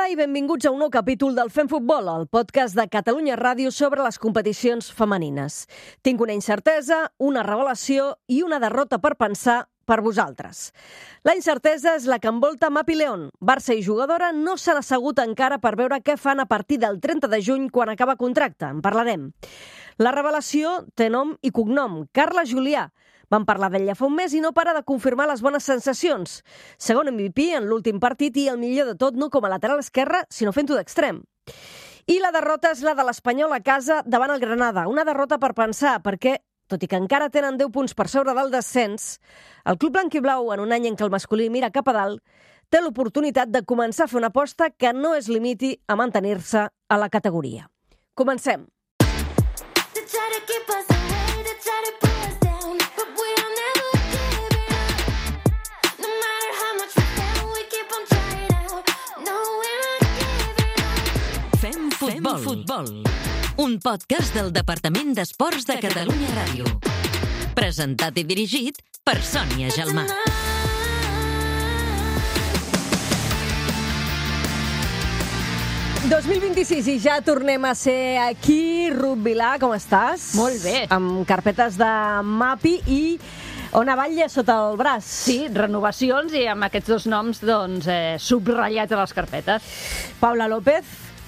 Hola i benvinguts a un nou capítol del Fem Futbol, el podcast de Catalunya Ràdio sobre les competicions femenines. Tinc una incertesa, una revelació i una derrota per pensar per vosaltres. La incertesa és la que envolta Mapi León. Barça i jugadora no s'han assegut encara per veure què fan a partir del 30 de juny quan acaba contracte. En parlarem. La revelació té nom i cognom, Carla Julià. Vam parlar d'ella fa un mes i no para de confirmar les bones sensacions. Segon MVP en l'últim partit i el millor de tot no com a lateral esquerra, sinó fent-ho d'extrem. I la derrota és la de l'Espanyol a casa davant el Granada. Una derrota per pensar, perquè, tot i que encara tenen 10 punts per sobre del descens, el club blanc-i-blau, en un any en què el masculí mira cap a dalt, té l'oportunitat de començar a fer una aposta que no es limiti a mantenir-se a la categoria. Comencem. Fem Futbol, un podcast del Departament d'Esports de Catalunya Ràdio. Presentat i dirigit per Sònia Gelmà. – 2026 i ja tornem a ser aquí. Ruth Vilà, com estàs? Molt bé. Amb carpetes de Mapi i Ona Batlle sota el braç. Sí, renovacions i amb aquests dos noms subratllats a les carpetes. Paula López,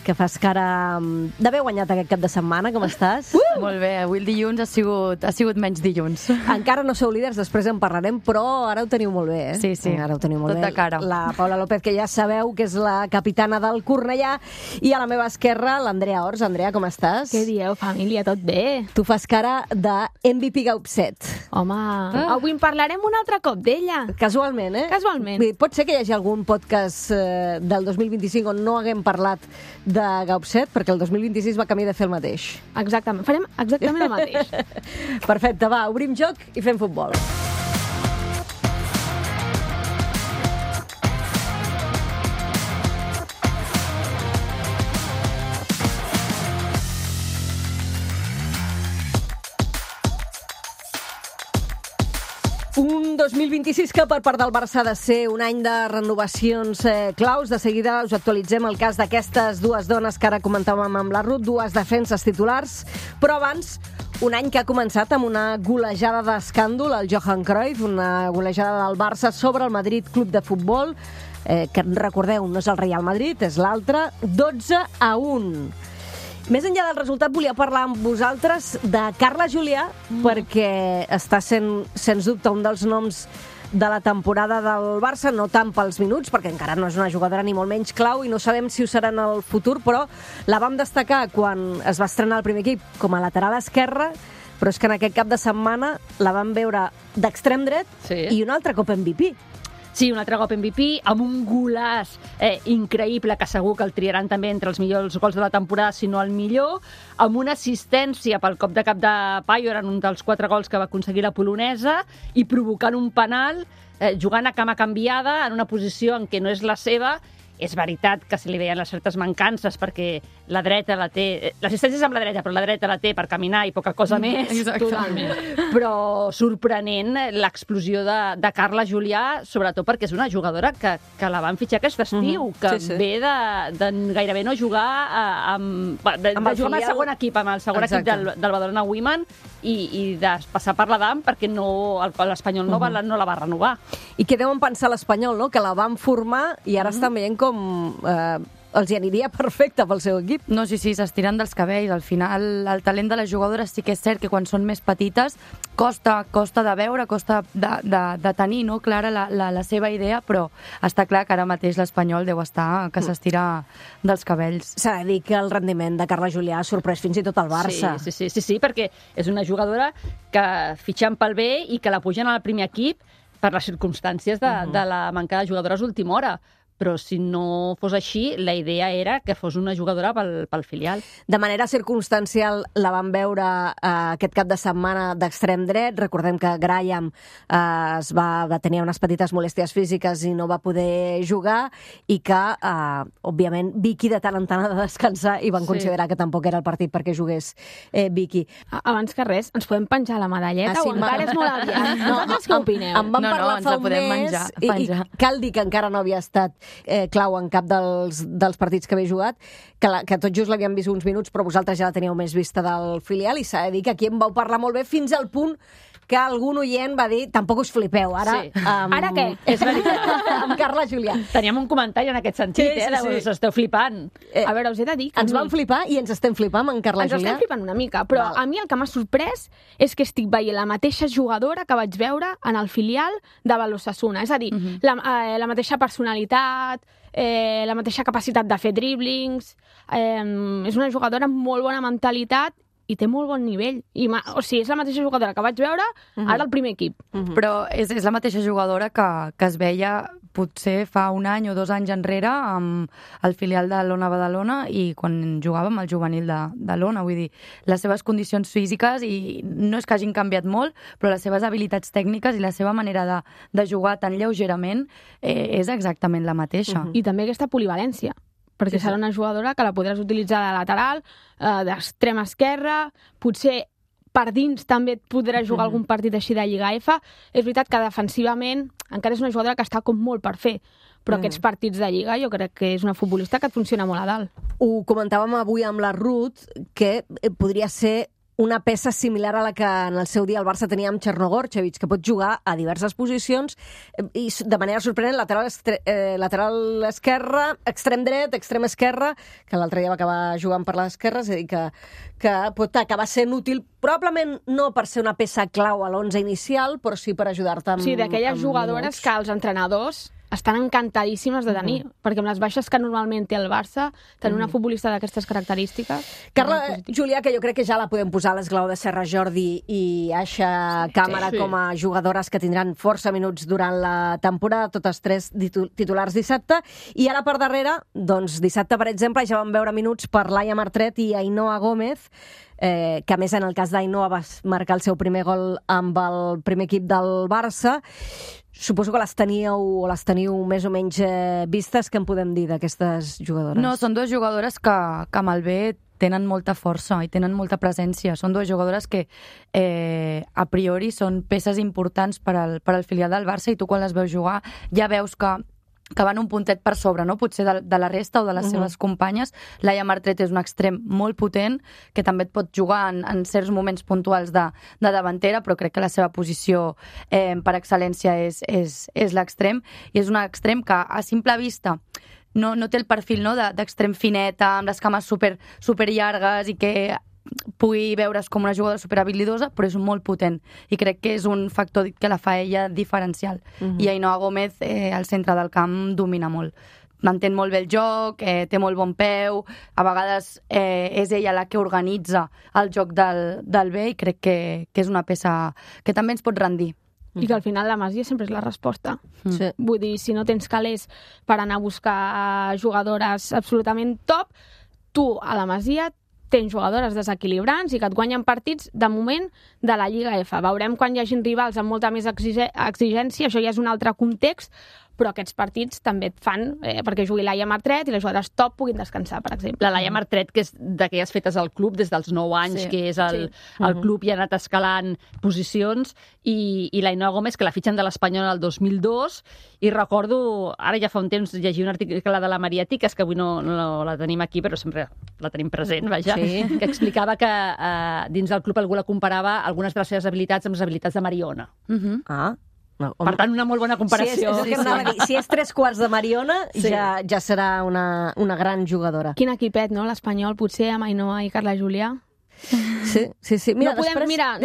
que fas cara d'haver guanyat aquest cap de setmana, com estàs? Molt bé, avui el dilluns ha sigut menys dilluns. Encara no sou líders, després en parlarem, però ara ho teniu molt bé, eh? Sí, sí, ara ho teniu molt tot bé. de cara. La Paula López, que ja sabeu que és la capitana del Cornellà, i a la meva esquerra, l'Andrea Ors. Andrea, com estàs? Què dieu, família? Tot bé? Tu fas cara de MVP Gaupset. Home, avui en parlarem un altre cop d'ella. Casualment, eh? Casualment. Pot ser que hi hagi algun podcast del 2025 on no haguem parlat de Gaupset, perquè el 2026 va camí de fer el mateix. Exactament, farem exactament el mateix. Perfecte, va, obrim joc i fem futbol. Un 2026 que per part del Barça ha de ser un any de renovacions claus. De seguida us actualitzem el cas d'aquestes dues dones que ara comentàvem amb la Ruth, dues defenses titulars. Però abans, un any que ha començat amb una golejada d'escàndol al Johan Cruyff, una golejada del Barça sobre el Madrid Club de Futbol, que recordeu, no és el Real Madrid, és l'altre, 12-1. Més enllà del resultat, volia parlar amb vosaltres de Carla Julià, perquè està sent, sens dubte, un dels noms de la temporada del Barça, no tant pels minuts, perquè encara no és una jugadora ni molt menys clau i no sabem si ho serà en el futur, però la vam destacar quan es va estrenar el primer equip com a lateral esquerra, però és que en aquest cap de setmana la vam veure d'extrem dret i un altre cop MVP. Sí, un altre cop MVP, amb un golaç increïble, que segur que el triaran també entre els millors gols de la temporada, si no el millor, amb una assistència pel cop de cap de Paio, en un dels 4 gols que va aconseguir la polonesa, i provocant un penal, jugant a cama canviada, en una posició en què no és la seva. És veritat que se li veien les certes mancances perquè la dreta la té... L'assistència és amb la dreta, però la dreta la té per caminar i poca cosa més. Exactament. Però sorprenent l'explosió de Carla Julià, sobretot perquè és una jugadora que la van fitxar aquest estiu, que ve de gairebé no jugar de jugar amb el segon equip, amb el segon equip del Badalona Women, i de passar per la DAM perquè l'Espanyol no la va renovar. I què deuen pensar l'Espanyol, no? Que la van formar i ara estan veient com els hi aniria perfecte pel seu equip. No, sí, s'estiren dels cabells. Al final, el talent de les jugadores sí que és cert que quan són més petites costa de veure, costa de tenir, no, clara la seva idea, però està clar que ara mateix l'Espanyol deu estar que s'estira dels cabells. S'ha de dir que el rendiment de Carla Julià ha sorprès fins i tot el Barça. Sí, perquè és una jugadora que fitxen pel bé i que la pugen al primer equip per les circumstàncies de la manca de jugadores d'última hora. Però si no fos així, la idea era que fos una jugadora pel filial. De manera circumstancial la vam veure aquest cap de setmana d'extrem dret. Recordem que Graham va tenir unes petites molèsties físiques i no va poder jugar, i que, òbviament, Vicky de tant en tant ha de descansar i van considerar que tampoc era el partit perquè jugués Vicky. Abans que res, ens podem penjar la medalleta o encara és molt aviat? Vosaltres què opineu? En vam parlar fa un mes i cal dir que encara no havia estat clau en cap dels partits que havia jugat, que tot just l'havíem vist uns minuts, però vosaltres ja la teníeu més vista del filial, i s'ha de dir que aquí em vau parlar molt bé fins al punt que algun oient va dir, tampoc us flipeu, ara... Sí. Ara què? És veritat. Amb Carla Julià. Teníem un comentari en aquest sentit, us esteu flipant. A veure, us he de dir que Ens vam flipar i ens estem flipant amb Carla Julià. Ens estem flipant una mica, però a mi el que m'ha sorprès és que estic veient la mateixa jugadora que vaig veure en el filial de l'Osasuna. És a dir, la mateixa personalitat, la mateixa capacitat de fer driblings, és una jugadora amb molt bona mentalitat i té molt bon nivell. O sigui, és la mateixa jugadora que vaig veure ara al primer equip. Però és la mateixa jugadora que es veia potser fa un any o 2 anys enrere amb el filial de l'Ona Badalona i quan jugava amb el juvenil de l'Ona. Vull dir, les seves condicions físiques, i no és que hagin canviat molt, però les seves habilitats tècniques i la seva manera de jugar tan lleugerament és exactament la mateixa. I també aquesta polivalència, perquè serà una jugadora que la podràs utilitzar de lateral, d'extrema esquerra, potser per dins també et podrà jugar algun partit així de Lliga F. És veritat que defensivament encara és una jugadora que està com molt per fer, però aquests partits de Lliga jo crec que és una futbolista que et funciona molt a dalt. Ho comentàvem avui amb la Ruth, que podria ser una peça similar a la que en el seu dia el Barça tenia amb Chernogorcevic, que pot jugar a diverses posicions i de manera sorprenent lateral esquerra, extrem dret, extrem esquerra, que l'altre dia va acabar jugant per l'esquerra, és a dir, que pot acabar sent útil, probablement no per ser una peça clau a l'11 inicial, però sí per ajudar-te amb... Sí, d'aquelles jugadores que els entrenadors estan encantadíssimes de tenir, perquè amb les baixes que normalment té el Barça, tenir una futbolista d'aquestes característiques... Carla Julià, que jo crec que ja la podem posar a l'esglau de Serra Jordi i Aixa Càmera com a jugadores que tindran força minuts durant la temporada, totes 3 titulars dissabte, i ara per darrere, doncs dissabte, per exemple, ja vam veure minuts per Laia Martret i Ainhoa Gómez, que a més en el cas d'Ainhoa va marcar el seu primer gol amb el primer equip del Barça. Suposo que les teniu més o menys vistes. Què en podem dir d'aquestes jugadores? No, són 2 jugadores que amb el B tenen molta força i tenen molta presència. Són 2 jugadores que a priori són peces importants per al filial del Barça, i tu quan les veus jugar ja veus que van un puntet per sobre, no? Potser de la resta o de les seves companyes. Laia Martret és un extrem molt potent, que també et pot jugar en certs moments puntuals de davantera, però crec que la seva posició per excel·lència és l'extrem, i és un extrem que a simple vista no té el perfil, no, d'extrem fineta, amb les cames super llargues i que pugui veure's com una jugadora superhabilidosa, però és molt potent, i crec que és un factor que la fa ella diferencial. I Ainhoa Gómez al centre del camp domina molt, mantén molt bé el joc, té molt bon peu, a vegades és ella la que organitza el joc del B, i crec que és una peça que també ens pot rendir. I que al final la Masia sempre és la resposta. Sí. Vull dir, si no tens calés per anar a buscar jugadores absolutament top, tu a la Masia tens jugadores desequilibrants i que et guanyen partits, de moment, de la Lliga F. Veurem quan hi hagin rivals amb molta més exigència, això ja és un altre context, però aquests partits també et fan perquè jugui Laia Martret i les jugadores top puguin descansar, per exemple. La Laia Martret, que és d'aquelles fetes al club des dels 9 anys, que és el club i ha anat escalant posicions, i la Ainhoa Gómez, que la fitxen de l'Espanyol el 2002, i recordo, ara ja fa un temps, llegir un article de la Maria Tiques, que avui no la tenim aquí, però sempre la tenim present, vaja, que explicava que dins del club algú la comparava algunes de les seves habilitats amb les habilitats de Mariona. No, per tant, una molt bona comparació. Si és 3/4 de Mariona, ja serà una gran jugadora. Quin equipet, no? L'Espanyol, potser, amb Ainhoa i Carla Julià. Sí. Mira,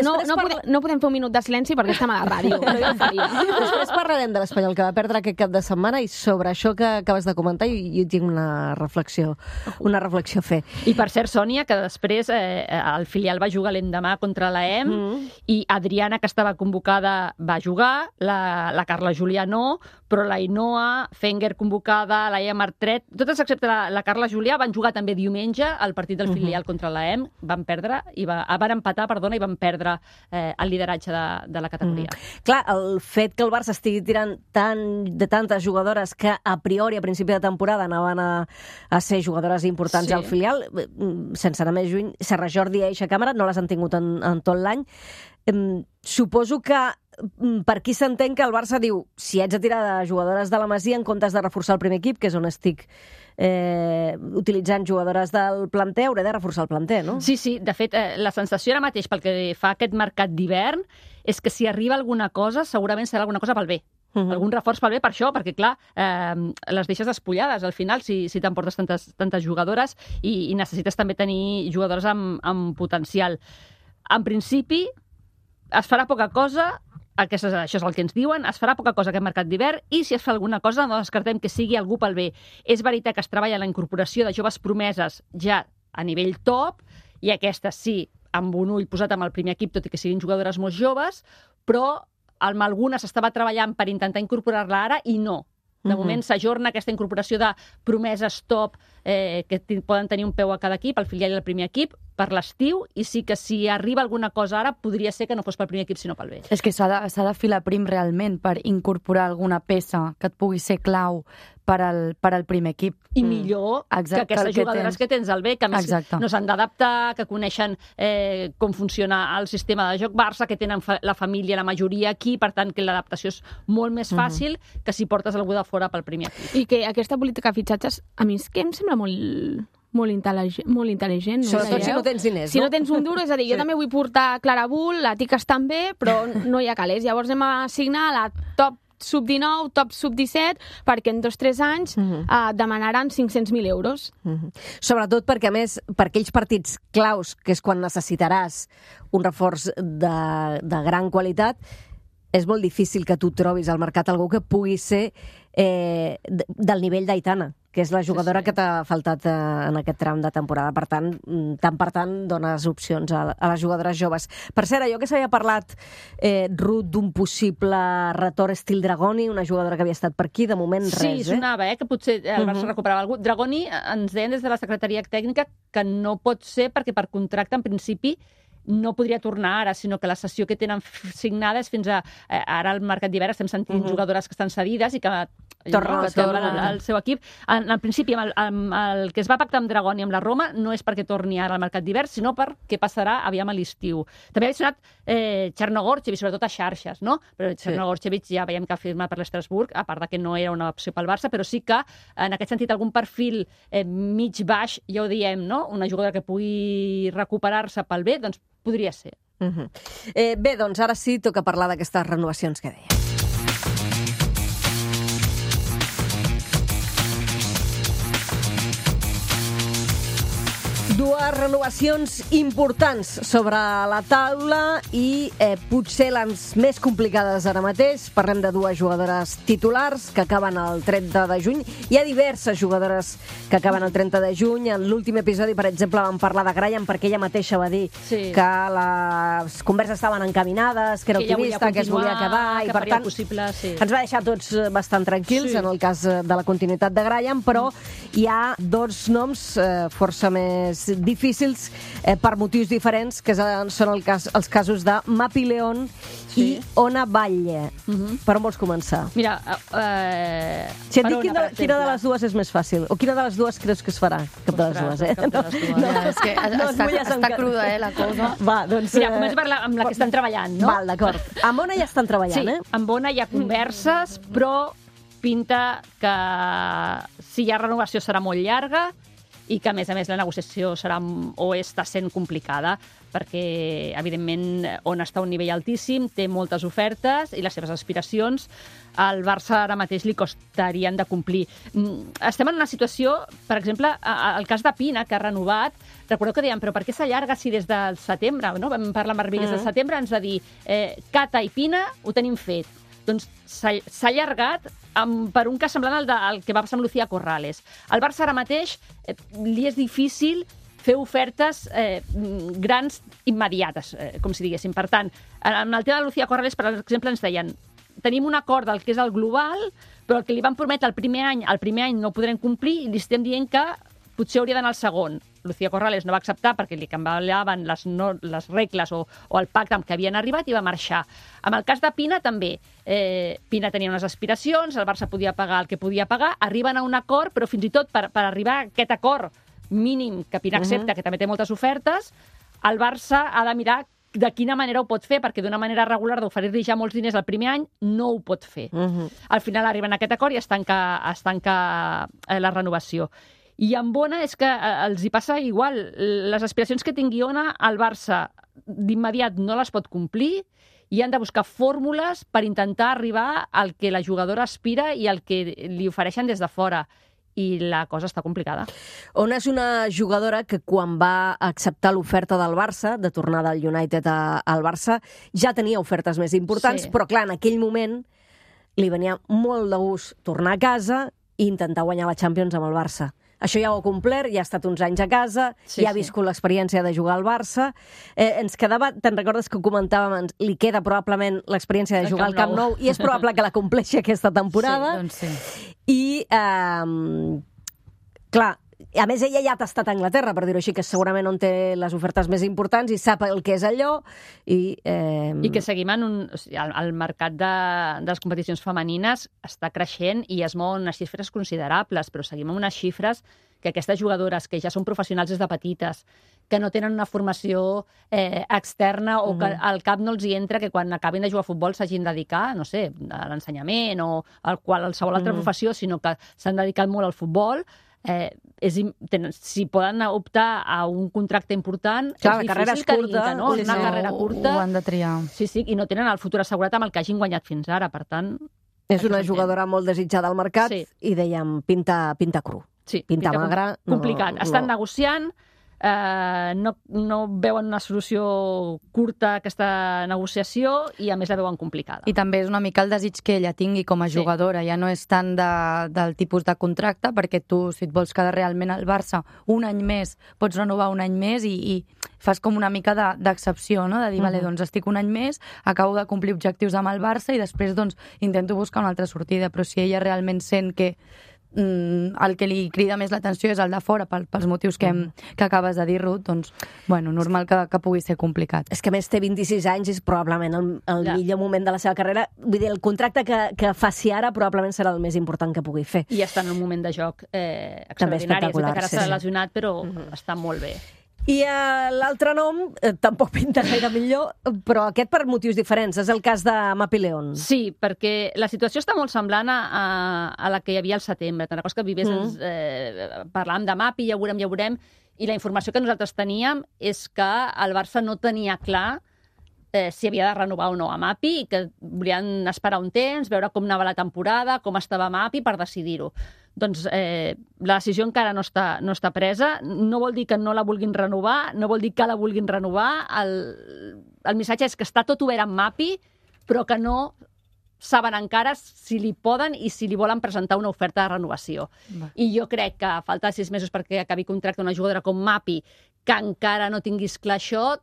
no podem fer un minut de silenci perquè estem a la ràdio, però jo ho faria. Després parlarem de l'Espanyol, que va perdre aquest cap de setmana, i sobre això que acabes de comentar jo tinc una reflexió a fer. I per cert, Sònia, que després el filial va jugar l'endemà contra l'EM, i Adriana, que estava convocada, va jugar, la Carla Julià no, però la Ainhoa, Fenger convocada, Laia Martret, totes excepte la Carla Julià van jugar també diumenge al partit del filial contra l'EM, van empatar, i van perdre el lideratge de la categoria. Clar, el fet que el Barça estigui tirant de tantes jugadores que a priori, a principi de temporada, anaven a ser jugadores importants al filial, sense anar més lluny, Serra Jordi i Aixa Càmera no les han tingut en tot l'any. Suposo que per aquí s'entén que el Barça diu, si haig de tirar de jugadores de la Masia en comptes de reforçar el primer equip, que és on estic utilitzant jugadores del planter, hauré de reforçar el planter, no? Sí, de fet, la sensació ara mateix pel que fa a aquest mercat d'hivern és que si arriba alguna cosa, segurament serà alguna cosa pel bé. Algun reforç pel bé per això, perquè, clar, les deixes despullades al final si t'emportes tantes jugadores i necessites també tenir jugadores amb potencial. En principi, es farà poca cosa, això és el que ens diuen, es farà poca cosa aquest mercat d'hivern i si es fa alguna cosa no descartem que sigui algú pel bé. És veritat que es treballa en la incorporació de joves promeses ja a nivell top i aquestes sí, amb un ull posat amb el primer equip, tot i que siguin jugadores molt joves, però amb algunes estava treballant per intentar incorporar-la ara i no. De moment s'ajorna aquesta incorporació de promeses top que poden tenir un peu a cada equip, el filial i el primer equip, per l'estiu, i sí que si arriba alguna cosa ara podria ser que no fos pel primer equip sinó pel bé. És que s'ha de filar prim realment per incorporar alguna peça que et pugui ser clau per al primer equip. I millor que aquestes jugadores que tens al B, que a més no s'han d'adaptar, que coneixen com funciona el sistema de joc Barça, que tenen la família, la majoria aquí, per tant que l'adaptació és molt més fàcil que si portes algú de fora pel primer equip. I que aquesta política de fitxatges, a mi és que em sembla molt intel·ligent. Sobretot si no tens diners, Si no tens un duro, és a dir, jo també vull portar Clara Bull, la Tica estan bé, però no hi ha calés. Llavors anem a assignar la top sub-19, top sub-17, perquè en 2 o 3 anys demanaran 500.000 euros. Sobretot perquè, a més, per aquells partits claus, que és quan necessitaràs un reforç de gran qualitat, és molt difícil que tu trobis al mercat algú que pugui ser del nivell d'Aitana, que és la jugadora que t'ha faltat en aquest tram de temporada. Per tant, dones opcions a les jugadores joves. Per cert, allò que s'havia parlat, Ruth, d'un possible retorn estil Dragoni, una jugadora que havia estat per aquí, de moment res. Sí, sonava, que potser el Barça recuperava algú. Dragoni ens deien des de la secretaria tècnica que no pot ser perquè per contracte, en principi, no podria tornar ara, sinó que la sessió que tenen signada és fins a... Ara al mercat d'hivern estem sentint jugadores que estan cedides i que tornen al seu equip. En principi, amb el que es va pactar amb Dragoni i amb la Roma no és perquè torni ara al mercat d'hivern, sinó per què passarà aviam a l'estiu. També havia sonat Chernogorchevich, sobretot a xarxes, no? Però Chernogorchevich ja veiem que ha firmat per l'Estrasburg, a part que no era una opció pel Barça, però sí que, en aquest sentit, algun perfil mig-baix, ja ho diem, no? Una jugadora que pugui recuperar-se pel bé, doncs podria ser. Bé, doncs ara sí toca parlar d'aquestes renovacions que deia. Dues renovacions importants sobre la taula i potser les més complicades ara mateix. Parlem de dues jugadores titulars que acaben el 30 de juny. Hi ha diverses jugadores que acaben el 30 de juny. En l'últim episodi, per exemple, vam parlar de Graham perquè ella mateixa va dir que les converses estaven encaminades, que era optimista, que es volia quedar, i per tant ens va deixar tots bastant tranquils en el cas de la continuïtat de Graham, però hi ha dos noms força més difícils per motius diferents, que són els casos de Mapi León i Ona Batlle. Per on vols començar? Mira, si et dic quina de les dues és més fàcil, o quina de les dues creus que es farà? Cap de les dues, És que està cruda, la cosa. Va, doncs... Mira, començo per amb la que estan treballant, no? Val, d'acord. Amb Ona ja estan treballant, Sí, amb Ona hi ha converses, però pinta que si hi ha renovació serà molt llarga i que, a més, la negociació serà o està sent complicada, perquè, evidentment, on està a un nivell altíssim, té moltes ofertes i les seves aspiracions al Barça ara mateix li costarien de complir. Estem en una situació, per exemple, el cas de Pina, que ha renovat, recordeu que dèiem, però per què s'allarga si des del setembre, no? Vam parlar amb Arbigues del setembre, ens va dir Cata i Pina ho tenim fet. Doncs s'ha allargat per un cas semblant al que va passar amb Lucía Corrales. Al Barça ara mateix li és difícil fer ofertes grans immediates, com si diguéssim. Per tant, en el tema de Lucía Corrales, per exemple, ens deien tenim un acord del que és el global, però el que li van prometre el primer any no ho podrem complir i li estem dient que potser hauria d'anar al segon. Lucía Corrales no va acceptar perquè li canviaven les regles o el pacte amb què havien arribat i va marxar. Amb el cas de Pina també. Pina tenia unes aspiracions, el Barça podia pagar el que podia pagar, arriben a un acord, però fins i tot per arribar a aquest acord mínim que Pina accepta, que també té moltes ofertes, el Barça ha de mirar de quina manera ho pot fer, perquè d'una manera regular d'oferir-li ja molts diners el primer any no ho pot fer. Al final arriben a aquest acord i es tanca la renovació. I amb Ona és que els hi passa igual. Les aspiracions que tingui Ona, el Barça d'immediat no les pot complir i han de buscar fórmules per intentar arribar al que la jugadora aspira i al que li ofereixen des de fora. I la cosa està complicada. Ona és una jugadora que quan va acceptar l'oferta del Barça, de tornar del United al Barça, ja tenia ofertes més importants, però clar, en aquell moment li venia molt de gust tornar a casa i intentar guanyar la Champions amb el Barça. Això ja ho ha complert, ja ha estat uns anys a casa, ja ha viscut l'experiència de jugar al Barça. Ens quedava, te'n recordes que ho comentàvem, li queda probablement l'experiència de jugar al Camp Nou i és probable que la compleixi aquesta temporada. Sí, doncs sí. I, clar, a més ella ja ha tastat a Anglaterra, per dir-ho així, que segurament on té les ofertes més importants i sap el que és allò. I que seguim en el mercat de les competicions femenines està creixent i es mouen unes xifres considerables, però seguim amb unes xifres que aquestes jugadores que ja són professionals des de petites, que no tenen una formació externa o que al cap no els hi entra que quan acabin de jugar a futbol s'hagin de dedicar, no sé, a l'ensenyament o a qualsevol altra professió, sinó que s'han dedicat molt al futbol. Si poden optar a un contracte important, clar, és la difícil carrera és curta, no? És una carrera curta. Ho han de triar. Sí, i no tenen el futur assegurat amb el que hagin guanyat fins ara, per tant... És una jugadora molt desitjada al mercat i dèiem, pinta cru. Sí, pinta magra. Complicat. Estan negociant, no veuen una solució curta a aquesta negociació i a més la veuen complicada. I també és una mica el desig que ella tingui com a jugadora, ja no és tant del tipus de contracte, perquè tu, si et vols quedar realment al Barça un any més, pots renovar un any més i fas com una mica d'excepció, no? De dir, vale, doncs estic un any més, acabo de complir objectius amb el Barça i després doncs intento buscar una altra sortida, però si ella realment sent que el que li crida més l'atenció és el de fora pels motius que acabes de dir, Ruth, doncs, bueno, normal que pugui ser complicat. És que a més té 26 anys i és probablement el millor moment de la seva carrera. Vull dir, el contracte que faci ara probablement serà el més important que pugui fer. I està en un moment de joc extraordinari. És que ara s'ha lesionat, però està molt bé. I l'altre nom tampoc pinta gaire millor, però aquest per motius diferents. És el cas de Mapi León. Sí, perquè la situació està molt semblant a la que hi havia al setembre. Te'n recordes que Vives parlàvem de Mapi, ja ho veurem, i la informació que nosaltres teníem és que el Barça no tenia clar si havia de renovar o no a Mapi i que volien esperar un temps, veure com anava la temporada, com estava Mapi per decidir-ho. Doncs la decisió encara no està presa. No vol dir que no la vulguin renovar, no vol dir que la vulguin renovar. El missatge és que està tot obert amb Mapi, però que no saben encara si li poden i si li volen presentar una oferta de renovació. I jo crec que a falta de 6 mesos perquè acabi contracte una jugadora com Mapi, que encara no tinguis clar això,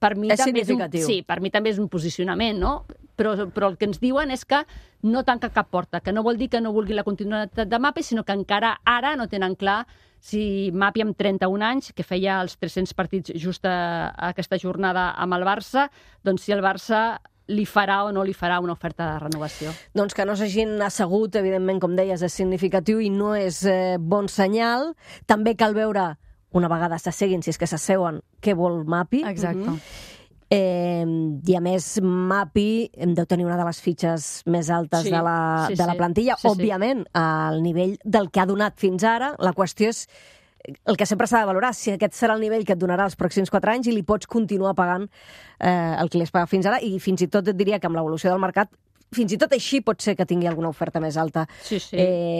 per mi és significatiu. Sí, per mi també és un posicionament, no? Però el que ens diuen és que no tanca cap porta, que no vol dir que no vulgui la continuïtat de Mapi, sinó que encara ara no tenen clar si Mapi amb 31 anys, que feia els 300 partits just a aquesta jornada amb el Barça, doncs si el Barça li farà o no li farà una oferta de renovació. Doncs que no s'hagin assegut, evidentment, com deies, és significatiu i no és bon senyal. També cal veure, una vegada s'asseguin, si és que s'asseuen, què vol Mapi. Exacte. I a més, Mapi deu tenir una de les fitxes més altes de la plantilla. Òbviament, al nivell del que ha donat fins ara. La qüestió és el que sempre s'ha de valorar, si aquest serà el nivell que et donarà els pròxims 4 anys i li pots continuar pagant el que li has pagat fins ara. I fins i tot et diria que amb l'evolució del mercat fins i tot així pot ser que tingui alguna oferta més alta.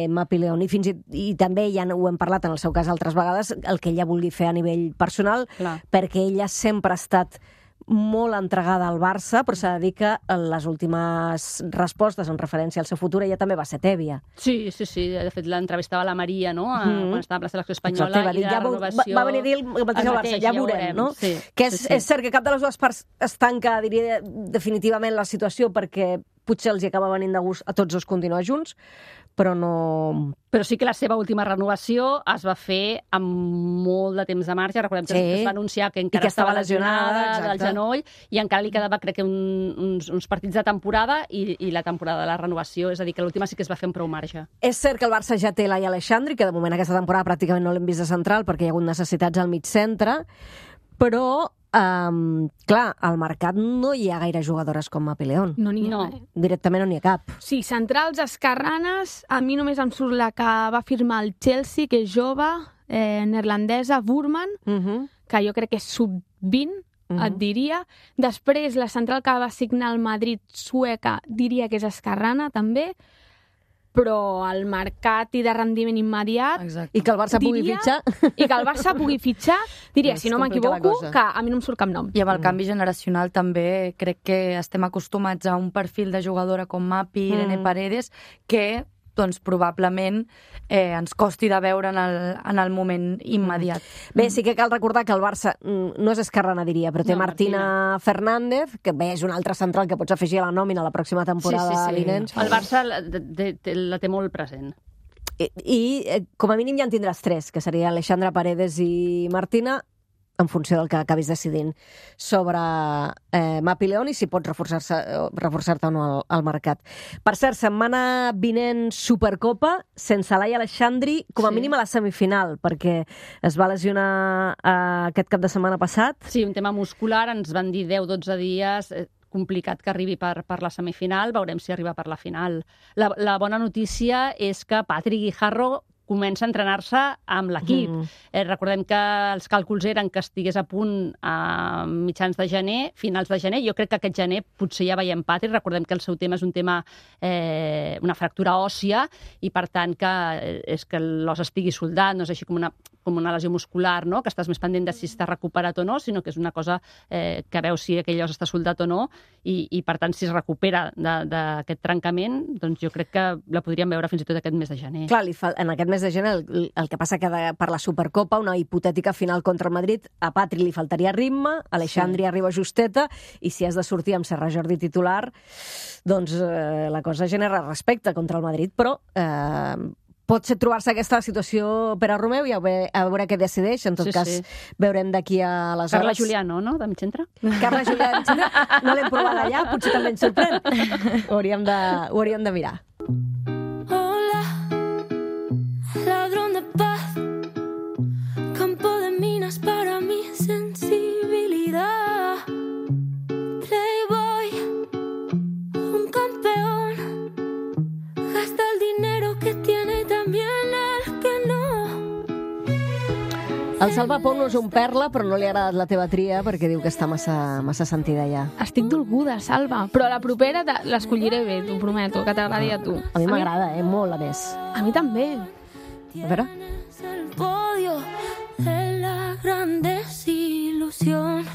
Mapi León. I també, ja ho hem parlat en el seu cas altres vegades, el que ella vulgui fer a nivell personal, perquè ella sempre ha estat molt entregada al Barça, però s'ha de dir que en les últimes respostes en referència al seu futur ella també va ser tèbia. Sí. De fet, l'entrevistava la Maria, no?, quan estava a la selecció espanyola. Exacte, i la renovació... Va venir a dir el mateix al Barça, ja veurem, no? Que és cert que cap de les dues parts es tanca, diria, definitivament la situació, perquè potser els hi acaba venint de gust a tots dos continuar junts, però no... Però sí que la seva última renovació es va fer amb molt de temps de marge. Recordem que es va anunciar que encara estava lesionada del genoll i encara li quedava, crec que, uns partits de temporada i la temporada de la renovació. És a dir, que l'última sí que es va fer amb prou marge. És cert que el Barça ja té Laia Aleixandri, que de moment aquesta temporada pràcticament no l'hem vist de central perquè hi ha hagut necessitats al mig centre, però clar, al mercat no hi ha gaire jugadores com Mapi León. No n'hi ha. Directament no n'hi ha cap. Sí, centrals esquerranes, a mi només em surt la que va firmar el Chelsea, que és jove, neerlandesa, Burman, que jo crec que és sub-20, et diria. Després, la central que va signar el Madrid, sueca, diria que és esquerrana, també. Però el mercat i de rendiment immediat... Exacte. I que el Barça pugui fitxar. I que el Barça pugui fitxar, diria, si no m'equivoco, que a mi no em surt cap nom. I amb el canvi generacional també crec que estem acostumats a un perfil de jugadora com Mapi, Irene Paredes, que doncs probablement ens costi de veure en el moment immediat. Bé, sí que cal recordar que el Barça no és esquerrana, diria, però té Martina Fernández, que bé, és una altra central que pots afegir a la nòmina la pròxima temporada vinent. El Barça la té molt present. I com a mínim ja en tindràs 3, que seria Alexandra Paredes i Martina, en funció del que acabis decidint sobre Mapi León i si pots reforçar-te o no al mercat. Per cert, setmana vinent Supercopa, sense Laia Alexandri, com a mínim a la semifinal, perquè es va lesionar aquest cap de setmana passat. Sí, un tema muscular, ens van dir 10-12 dies, complicat que arribi per la semifinal, veurem si arriba per la final. La bona notícia és que Patrick Guijarro comença a entrenar-se amb l'equip. Recordem que els càlculs eren que estigués a punt a mitjans de gener, finals de gener. Jo crec que aquest gener potser ja veiem Patri. Recordem que el seu tema és un tema, una fractura òssia, i per tant que és que l'os estigui soldat, no és així com una lesió muscular, no? Que estàs més pendent de si està recuperat o no, sinó que és una cosa que veus si aquell os està soldat o no, i per tant si es recupera d'aquest trencament, doncs jo crec que la podríem veure fins i tot aquest mes de gener. Clar, en aquest mes de gener el que passa que per la Supercopa, una hipotètica final contra el Madrid, a Patri li faltaria ritme, a Alexandri arriba justeta, i si has de sortir amb Serra Jordi titular, doncs la cosa genera respecte contra el Madrid, però pot ser trobar-se aquesta situació per a Romeu i a veure què decideix. En tot cas, veurem d'aquí a les hores. Carla Juliano, no?, de mig centre? Carla Juliano de mig centre. No l'hem provat allà, potser també ens sorprèn. Ho hauríem de mirar. Hola, ladrón de paz, campo de minas para mi sensibilidad. Playboy, un campeón, gasta el dinero que tiene y también el que no. El Salva Pou no és un perla, però no li ha agradat la teva tria perquè diu que està massa sentida ja. Estic dolguda, Salva, però la propera l'escolliré bé, t'ho prometo, que t'agradi a tu. A mi m'agrada, molt, a més. A mi també. A veure. El podio de la gran desilusión.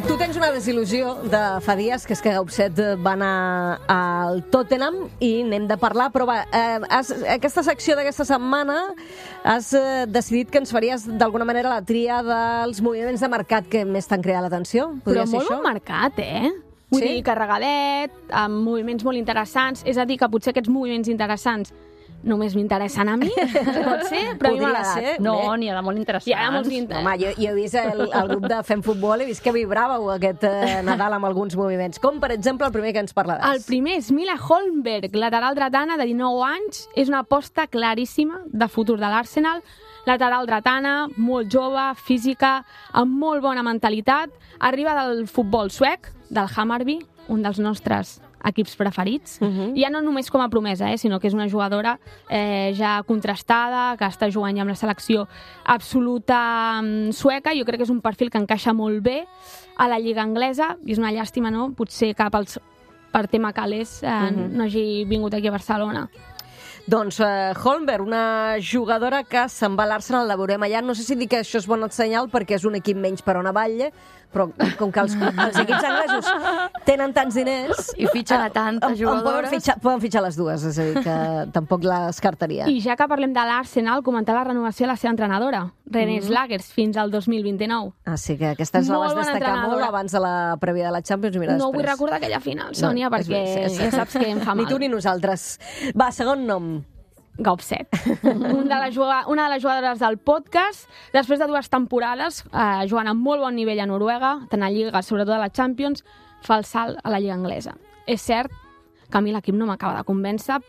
Tu tens una desil·lusió de fa dies, que és que Gaupset va anar al Tottenham i n'hem de parlar, però va, aquesta secció d'aquesta setmana has decidit que ens faries d'alguna manera la tria dels moviments de mercat que més t'han cridat l'atenció. Però molt bon mercat, Vull dir, carregadet, amb moviments molt interessants, és a dir, que potser aquests moviments interessants només m'interessen a mi, pot ser, però a mi m'ha agradat. No, n'hi ha de molt interessants. Home, jo he vist el grup de Fem Futbol, he vist que vibràveu aquest Nadal amb alguns moviments, com per exemple el primer que ens parlaràs. El primer és Mila Holmberg, lateral dretana de 19 anys, és una aposta claríssima de futur de l'Arsenal, lateral dretana, molt jove, física, amb molt bona mentalitat, arriba del futbol suec, del Hammarby, un dels nostres equips preferits, ja no només com a promesa, sinó que és una jugadora ja contrastada, que està jugant ja amb la selecció absoluta sueca. Jo crec que és un perfil que encaixa molt bé a la lliga anglesa, i és una llàstima, no?, potser que per tema calés no hagi vingut aquí a Barcelona. Doncs Holmberg, una jugadora que se'n va a l'Arsenal, la veurem allà. No sé si dir que això és bon senyal perquè és un equip menys per on a Batlle, però com que els equips anglesos tenen tants diners... I fitxen a tantes jugadores... Poden fitxar les dues, és a dir, que tampoc la descartaria. I ja que parlem de l'Arsenal, comentar la renovació de la seva entrenadora, René Slagers, fins al 2029. Ah, sí, que aquesta ens la vas destacar molt abans de la prèvia de la Champions. Mira, no vull recordar aquella final, Sònia, perquè ja saps que em fa mal. Ni tu ni nosaltres. Va, segon nom. Gaupset, una de les jugadores del podcast, després de 2 temporades, jugant amb molt bon nivell a Noruega, tant a Lliga, sobretot a la Champions, fa el salt a la Lliga anglesa. És cert que a mi l'equip no m'acaba de convèncer,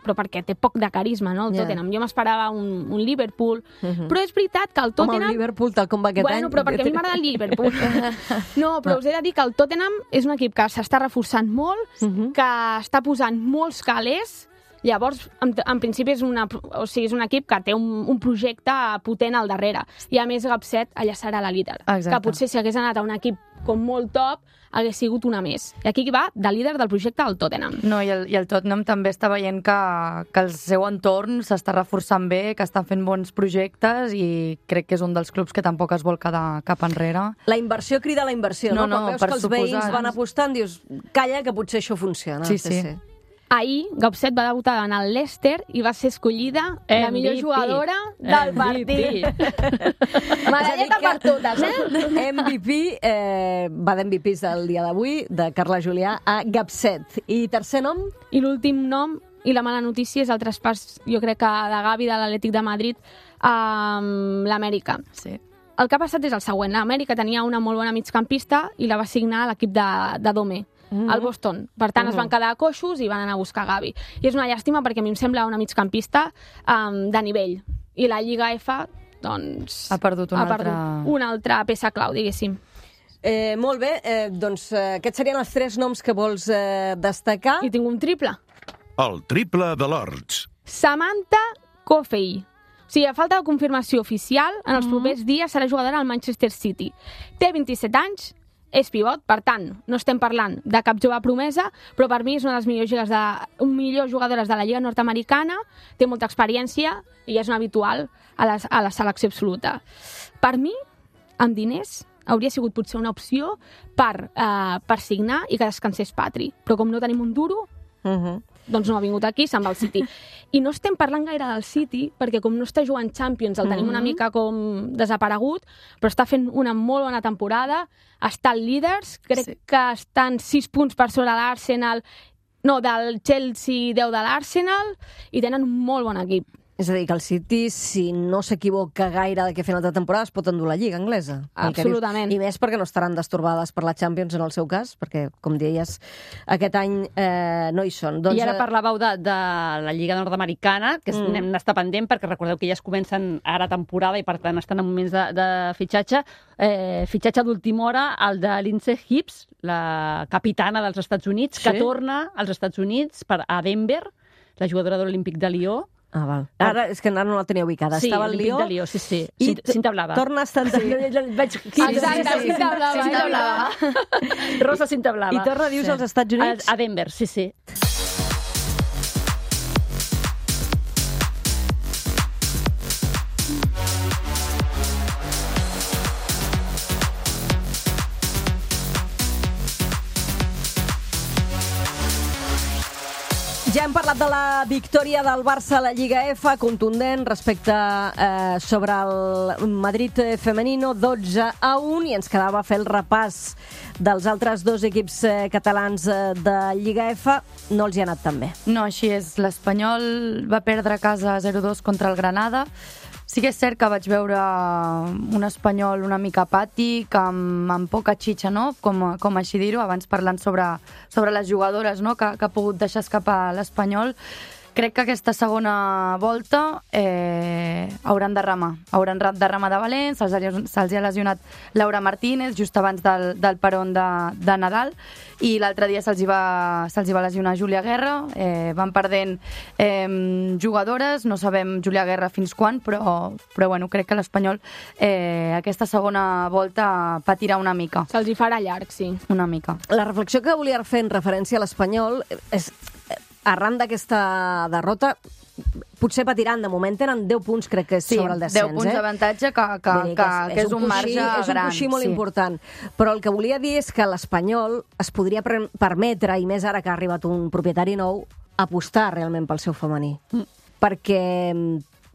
però perquè té poc de carisma, no, el Tottenham. Jo m'esperava un Liverpool, però és veritat que el Tottenham... Home, el Liverpool, tal com va aquest any... Bueno, però perquè a mi m'agrada el Liverpool. No, però us he de dir que el Tottenham és un equip que s'està reforçant molt, que està posant molts calés. Llavors, en principi és un equip que té un projecte potent al darrere. I a més, Gapset allà serà la líder. Exacte. Que potser si hagués anat a un equip com molt top, hagués sigut una més. I aquí va de líder del projecte del Tottenham. No, i el Tottenham també està veient que el seu entorn s'està reforçant bé, que estan fent bons projectes i crec que és un dels clubs que tampoc es vol quedar cap enrere. La inversió crida la inversió, no? Quan veus que els veïns van apostant, dius, calla, que potser això funciona. Sí. Ahir, Gapset va debutar en el Leicester i va ser escollida la millor jugadora del partit. Medalleta per totes, MVP, va d'MVPs el dia d'avui, de Carla Julià a Gapset. I tercer nom? I l'últim nom, i la mala notícia, és el traspàs, jo crec que de Gavi de l'Atlètic de Madrid a l'Amèrica. Sí. El que ha passat és el següent. L'Amèrica tenia una molt bona migcampista i la va signar a l'equip de Dome, al Boston. Per tant, es van quedar coixos i van anar a buscar Gavi. I és una llàstima perquè a mi em sembla una migcampista de nivell. I la Lliga F, doncs... Ha perdut una altra peça clau, diguéssim. Molt bé, doncs aquests serien els 3 noms que vols destacar. I tinc un triple. El triple de l'Horts. Samantha Coffey. O sigui, a falta de confirmació oficial, en els propers dies serà jugadora al Manchester City. Té 27 anys, és pivot, per tant, no estem parlant de cap jove promesa, però per mi és una de les millors jugadores de la Lliga nord-americana, té molta experiència i és una habitual a la selecció absoluta. Per mi, amb diners, hauria sigut potser una opció per signar i que descansés Patri. Però com no tenim un duro, doncs no ha vingut aquí, se'n va al City. I no estem parlant gaire del City, perquè com no està jugant Champions, el tenim una mica com desaparegut, però està fent una molt bona temporada, estan líders, crec que estan 6 punts per sobre l'Arsenal, no, del Chelsea, 10 de l'Arsenal, i tenen un molt bon equip. És a dir, que el City, si no s'equivoca gaire d'aquí a final de temporada, es pot endur la Lliga anglesa. Absolutament. I més perquè no estaran destorbades per la Champions en el seu cas, perquè, com deies, aquest any no hi són. I ara parlàveu de la Lliga nord-americana, que n'hem d'estar pendent, perquè recordeu que ja es comencen ara temporada i, per tant, estan en moments de fitxatge. Fitxatge d'última hora, el de Lindsey Hibbs, la capitana dels Estats Units, que torna als Estats Units a Denver, la jugadora de l'Olímpic de Lió. Ah, val. Ara és que ara no la tenia ubicada. Sí, estava al Lió. de Lió, sí. I Cinta Blava. Torna a estar... Exacte, Cinta Blava. Rosa Cinta Blava. I torna, dius, als Estats Units? A Denver, sí. Ja hem parlat de la victòria del Barça a la Lliga F, contundent respecte sobre el Madrid femenino, 12-1, i ens quedava fer el repàs dels altres 2 equips catalans de Lliga F. No els hi ha anat tan bé. No, així és. L'Espanyol va perdre a casa 0-2 contra el Granada. Sí que és cert que vaig veure un Espanyol una mica apàtic, amb poca xitxa, no? Com així dir-ho, abans parlant sobre les jugadores, no? que ha pogut deixar escapar l'Espanyol. Crec que aquesta segona volta hauran de remar de valent, se'ls ha lesionat Laura Martínez just abans del peron de Nadal, i l'altre dia se'ls hi va lesionar Júlia Guerra. Van perdent jugadores, no sabem Júlia Guerra fins quan, però bueno, crec que l'Espanyol aquesta segona volta patirà una mica. Se'ls hi farà llarg, sí. Una mica. La reflexió que volia fer en referència a l'Espanyol és, arran d'aquesta derrota, potser patiran. De moment tenen 10 punts, crec que és sobre el descens. 10 punts d'avantatge, que és un marge gran. És un coixí molt important. Però el que volia dir és que l'Espanyol es podria permetre, i més ara que ha arribat un propietari nou, apostar realment pel seu femení. Perquè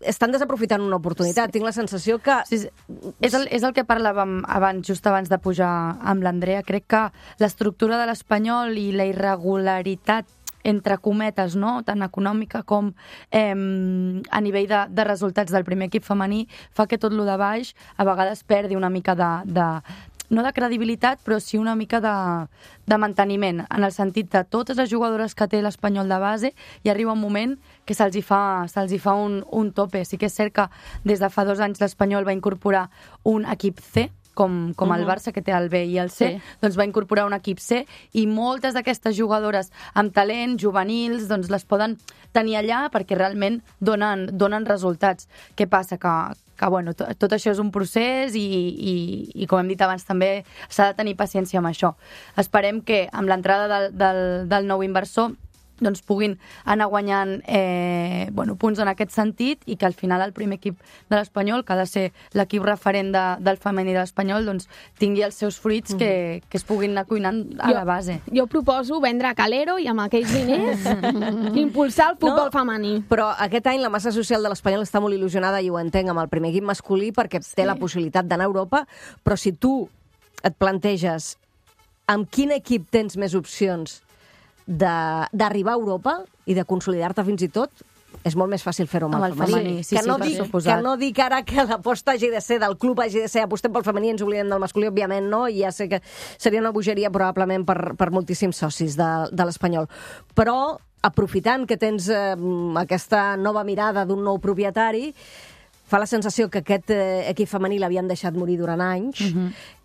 estan desaprofitant una oportunitat. Tinc la sensació que... És el que parlàvem just abans de pujar amb l'Andrea. Crec que l'estructura de l'Espanyol i la irregularitat, entre cometes, no? Tant econòmica com a nivell de resultats del primer equip femení, fa que tot lo de baix a vegades perdi una mica no de credibilitat, però sí una mica de manteniment, en el sentit de totes les jugadores que té l'Espanyol de base, i arriba un moment que se'ls hi fa un tope. Sí que és cert que des de fa 2 anys l'Espanyol va incorporar un equip C, com el Barça, que té el B i el C, doncs va incorporar un equip C, i moltes d'aquestes jugadores amb talent, juvenils, doncs les poden tenir allà perquè realment donen resultats. Què passa? Que bueno, tot això és un procés i com hem dit abans també s'ha de tenir paciència amb això. Esperem que amb l'entrada del nou inversor doncs puguin anar guanyant punts en aquest sentit, i que al final el primer equip de l'Espanyol, que ha de ser l'equip referent del femení de l'Espanyol, doncs tingui els seus fruits que es puguin anar cuinant a la base. Jo proposo vendre Calero i amb aquells diners impulsar el futbol femení. Però aquest any la massa social de l'Espanyol està molt il·lusionada, i ho entenc, amb el primer equip masculí, perquè té la possibilitat d'anar a Europa, però si tu et planteges amb quin equip tens més opcions d'arribar a Europa i de consolidar-te fins i tot, és molt més fàcil fer-ho amb el femení. Sí, que no dic ara que l'aposta hagi de ser del club, hagi de ser apostem pel femení i ens oblidem del masculí, òbviament no, i ja sé que seria una bogeria probablement per moltíssims socis de l'Espanyol. Però, aprofitant que tens aquesta nova mirada d'un nou propietari, fa la sensació que aquest equip femení l'havien deixat morir durant anys,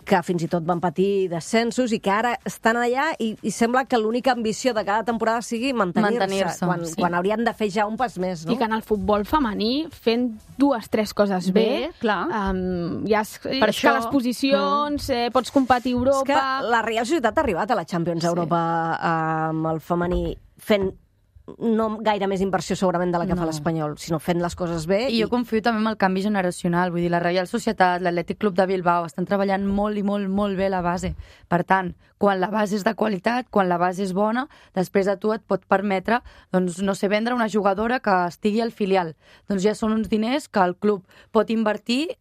que fins i tot van patir descensos i que ara estan allà i sembla que l'única ambició de cada temporada sigui mantenir-se quan haurien de fer ja un pas més, no? I que en el futbol femení, fent 2 o 3 coses bé, clar. És que les posicions, pots competir a Europa... És que la Reial Societat ha arribat a la Champions Europa amb el femení fent no gaire més inversió segurament de la que fa l'Espanyol, sinó fent les coses bé. I jo confio també en el canvi generacional, vull dir, la Reial Societat, l'Atlètic Club de Bilbao estan treballant molt i molt bé la base. Per tant, quan la base és de qualitat, quan la base és bona, després de tu et pot permetre, doncs, no sé, vendre una jugadora que estigui al filial. Doncs ja són uns diners que el club pot invertir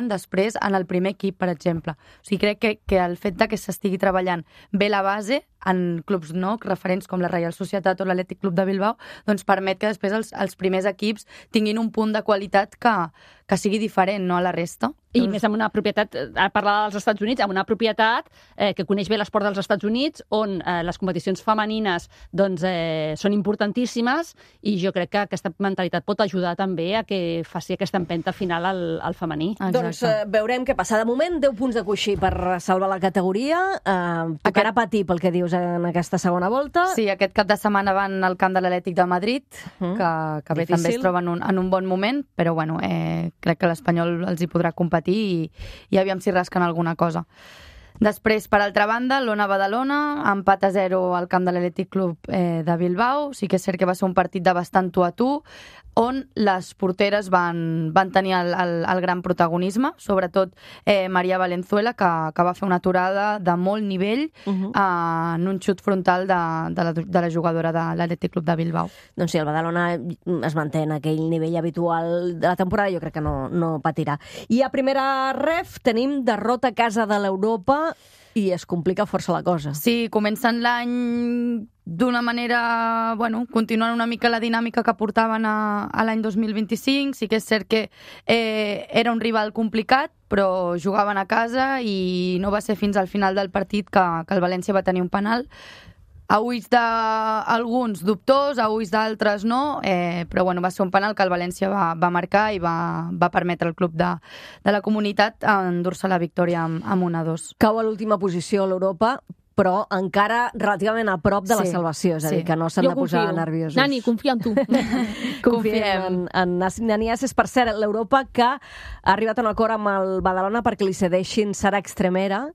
després en el primer equip, per exemple. O sigui, crec que el fet que s'estigui treballant bé la base en clubs referents com la Reial Societat o l'Atlètic Club de Bilbao, doncs permet que després els primers equips tinguin un punt de qualitat que sigui diferent, no a la resta. I més amb una propietat, parlava dels Estats Units, amb una propietat que coneix bé l'esport dels Estats Units, on les competicions femenines doncs, són importantíssimes, i jo crec que aquesta mentalitat pot ajudar també a que faci aquesta empenta final al femení. Exacte. Doncs veurem què passa. De moment, 10 punts de coixí per salvar la categoria. Tocarà patir pel que dius en aquesta segona volta. Sí, aquest cap de setmana van al camp de l'Atlètic de Madrid, que bé, també es troben en un bon moment, però bueno, crec que l'Espanyol els hi podrà competir i aviam si rasquen alguna cosa. Després, per altra banda, l'Ona Badalona, empat a 0 al camp de l'Atlètic Club de Bilbao. Sí que és cert que va ser un partit de bastant tu a tu, on les porteres van tenir el gran protagonisme, sobretot Maria Valenzuela, que va fer una aturada de molt nivell en un xut frontal de la jugadora de l'Atlètic Club de Bilbao. Doncs sí, el Badalona es manté en aquell nivell habitual de la temporada, jo crec que no patirà. I a primera ref tenim derrota a casa de l'Europa i es complica força la cosa. Sí, comencen l'any d'una manera, continuant una mica la dinàmica que portaven a l'any 2025. Sí que és cert que era un rival complicat, però jugaven a casa i no va ser fins al final del partit que el València va tenir un penal. A ulls d'alguns dubtors, a ulls d'altres no, però va ser un penal que el València va marcar i va permetre al club de la comunitat endur-se la victòria amb 1-2. Cau a l'última posició a l'Europa, però encara relativament a prop de la salvació, és a dir, que no s'han de posar nerviosos. Nani, confia en tu. Confiem en Nani Ases. Per cert, l'Europa que ha arribat a un acord amb el Badalona perquè li cedeixin Sara Extremera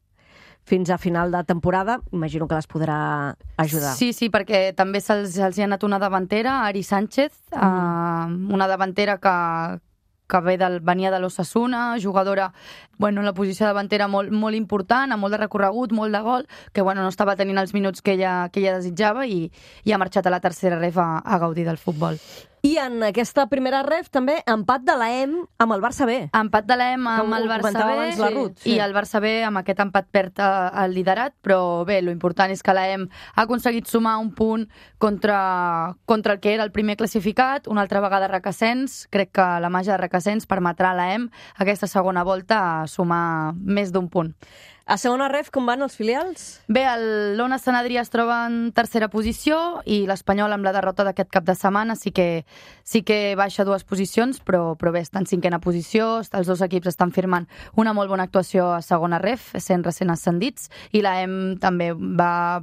fins a final de temporada. Imagino que les podrà ajudar. Sí, perquè també se'ls hi ha anat una davantera, Ari Sánchez, una davantera que venia de l'Osasuna, jugadora en la posició de davantera molt important, amb molt de recorregut, molt de gol, que no estava tenint els minuts que ella desitjava i ha marxat a la tercera ref a gaudir del futbol. I en aquesta primera ref també empat de l'EM amb el Barça B. Empat de l'EM amb el Barça B i el Barça B amb aquest empat perd el liderat, però bé, l'important és que l'EM ha aconseguit sumar un punt contra el que era el primer classificat, una altra vegada Requesens. Crec que la màgia de Requesens permetrà a l'EM aquesta segona volta sumar més d'un punt. A segona ref, com van els filials? Bé, l'Ona Sant Adrià es troba en tercera posició i l'Espanyol, amb la derrota d'aquest cap de setmana, sí que baixa 2 posicions, però bé, està en 5a posició. Els 2 equips estan firmant una molt bona actuació a segona ref, sent recent ascendits, i l'AEM també va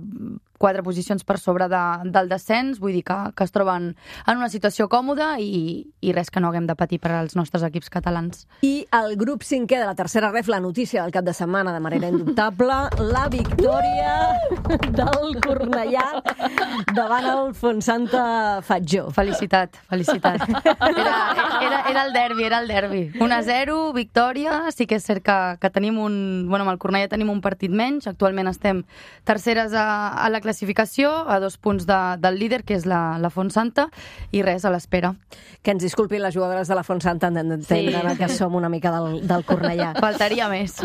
4 posicions per sobre del descens, vull dir que es troben en una situació còmoda i res que no haguem de patir per als nostres equips catalans. I el grup 5è de la tercera ref, la notícia del cap de setmana de manera indubtable, la victòria del Cornellà davant el Fontsanta Fatjó. Felicitat. Era el derbi. 1-0, victòria. Sí que és cert que tenim amb el Cornellà tenim un partit menys. Actualment estem terceres a la classificació, a 2 punts del líder, que és la Fontsanta, i res, a l'espera. Que ens disculpin les jugadores de la Fontsanta, han d'entendre que som una mica del Cornellà. Faltaria més.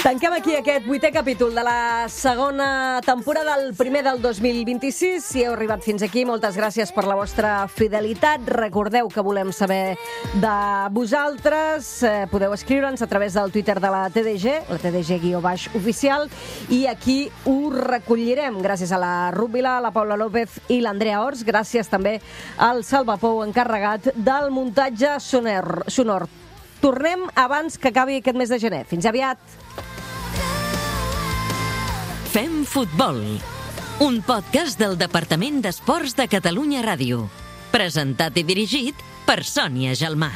Tanquem aquí aquest 8è capítol de la segona temporada, el primer del 2026. Si heu arribat fins aquí, moltes gràcies per la vostra fidelitat. Recordeu que volem saber de vosaltres. Podeu escriure'ns a través del Twitter de la TDG-oficial, i aquí ho recollirem. Gràcies a la Ruth Vila, la Paula López i l'Andrea Ors. Gràcies també al Salva Pou, encarregat del muntatge sonor. Tornem abans que acabi aquest mes de gener. Fins aviat! Fem futbol, un podcast del Departament d'Esports de Catalunya Ràdio. Presentat i dirigit per Sònia Gelmà.